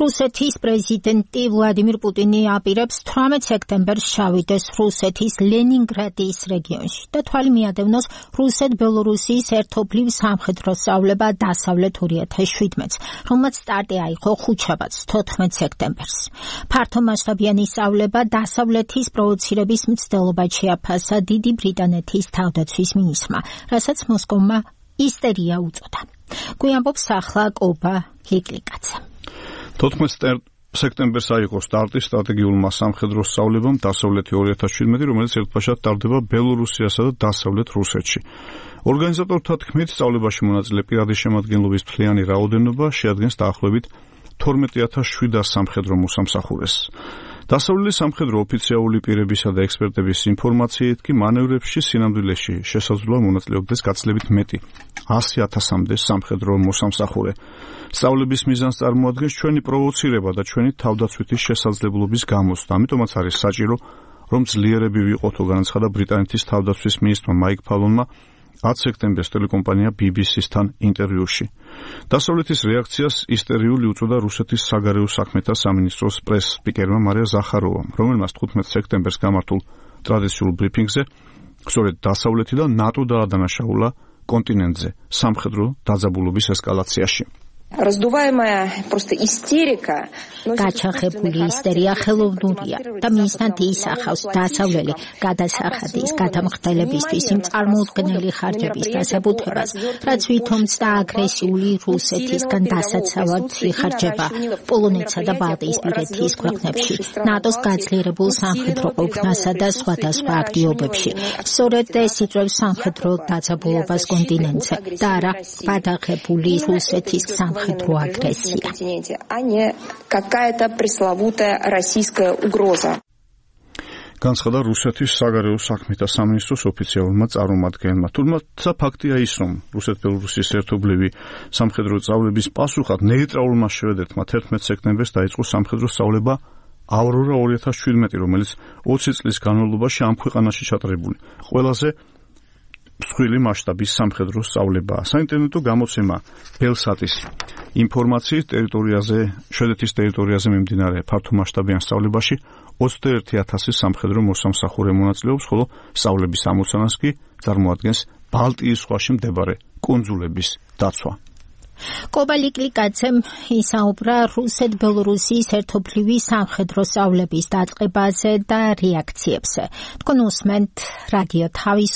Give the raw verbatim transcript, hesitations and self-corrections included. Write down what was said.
რუსეთის პრეზიდენტი ვლადიმირ პუტინი აპირებს თვრამეტ სექტემბერს ჩავიდეს რუსეთის ლენინგრადის რეგიონში და თვალი მიადევნოს რუსეთ-ბელორუსიის ერთობლივ სამხედრო სწავლება დასავლეთ ორი ათას შვიდმეტს, რომელმაც სტარტი აიღო ხუთშაბათს თოთხმეტ სექტემბერს. ფართო მასშტაბიანი სწავლება დასავლეთის პროვოცირების მცდელობად შეაფასა დიდი ბრიტანეთის თავდაცვის მინისტრმა, რასაც მოსკოვმა ისტერია უწოდა. გვიამბობს ახლა კობა ლიკლიკაძე. თოთხმეტ სექტემბერს აიღო სტარტი სტრატეგიულმა სამხედრო სწავლებამ დასავლეთი ორი ათას შვიდმეტი, რომელიც ერთბაშად ტარდება ბელორუსიასა და დასავლეთ რუსეთში. ორგანიზატორთა თქმით, სწავლებაში მონაწილე პირადი შემადგენლობის მთლიანი რაოდენობა შეადგენს დაახლოებით თორმეტ ათას შვიდას სამხედრო მოსამსახურეს. დასავლელი სამხედრო ოფიციალური პირებისა და ექსპერტების ინფორმაციით კი მანევრებში სინამდვილეში შესაძლოა მონაწილეობდეს გაცილებით მეტი ასი ათასამდე სამხედრო მოსამსახურე. სწავლების მიზანს წარმოადგენს ჩვენი პროვოცირება და ჩვენი თავდაცვითი შესაძლებლობის გამოცდა. ამიტომაც არის საჭირო, რომ ძლიერები ვიყოთო, განაცხადა ბრიტანეთის თავდაცვის მინისტრმა მაიკ ფალონმა ათ სექტემბერს ტელეკომპანია ბი ბი სის-თან ინტერვიუში. დასავლეთის რეაქციას ისტერიული უწოდა რუსეთის საგარეო საქმეთა სამინისტროს პრეს-სპიკერმა მარია ზახაროვამ, რომელმაც თხუთმეტ სექტემბერს გამართულ ტრადიციულ ბრიფინგზე სწორედ დასავლეთი და ნატო დაადანაშაულა კონტინენტზე სამხედრო დაძაბულობის ესკალაციაში. Раздуваемая просто истерика. გაჩაღებული ისტერია ხელოვნურია და მისთან ისახავს დასავლელი გადასახადის გადამხდელებისთვის იმ წარმოუდგენელი ხარჯების დასაბუთებას, რაც ვითომც და აგრესიული რუსეთისგან დასაცავად იხარჯება პოლონეთსა და ბალტიისპირეთის ქვეყნებში, ნატოს გაძლიერებულ სამხედრო ყოფნასა და სხვადასხვა აქტივობებში. სწორედ ეს იწვევს სამხედრო დაძაბულობას კონტინენტზე და არა გადაღებული რუსეთის სამხედრო агрессия, а не какая-то пресловутая российская угроза. განცხადა რუსეთის საგარეო საქმეთა სამინისტროს ოფიციალურმა წარმომადგენელმა. თუმცა ფაქტია ის, რომ რუსეთ-ბელორუსიის ერთობლივი სამხედრო სწავლების პასუხად ნეიტრალურმა შვედეთმა თერთმეტ სექტემბერს დაიწყო სამხედრო სწავლება ავრორა ორი ათას შვიდმეტი, რომელიც ოცი წლის განმავლობაში ამ ქვეყანაში ჩატარებული ყველაზე მსხვილი მასშტაბის სამხედრო სწავლებაა. საინტერნეტო გამოცემა ბელსატის ინფორმაციით ტერიტორიაზე, შვედეთის ტერიტორიაზე მიმდინარე ფართომასშტაბიან სწავლებაში ოცდაერთი ათასი სამხედრო მოსამსახურე მონაწილეობს, ხოლო სწავლების ამოცანას კი წარმოადგენს ბალტიის ზღვაში მდებარე კუნძულების დაცვა. კობა ლიკლიკაძემ ისაუბრა რუსეთ-ბელორუსიის ერთობლივი სამხედრო სწავლების დაწყებაზე და რეაქციებზე. თქვენ უსმენთ რადიო თავისუფლება.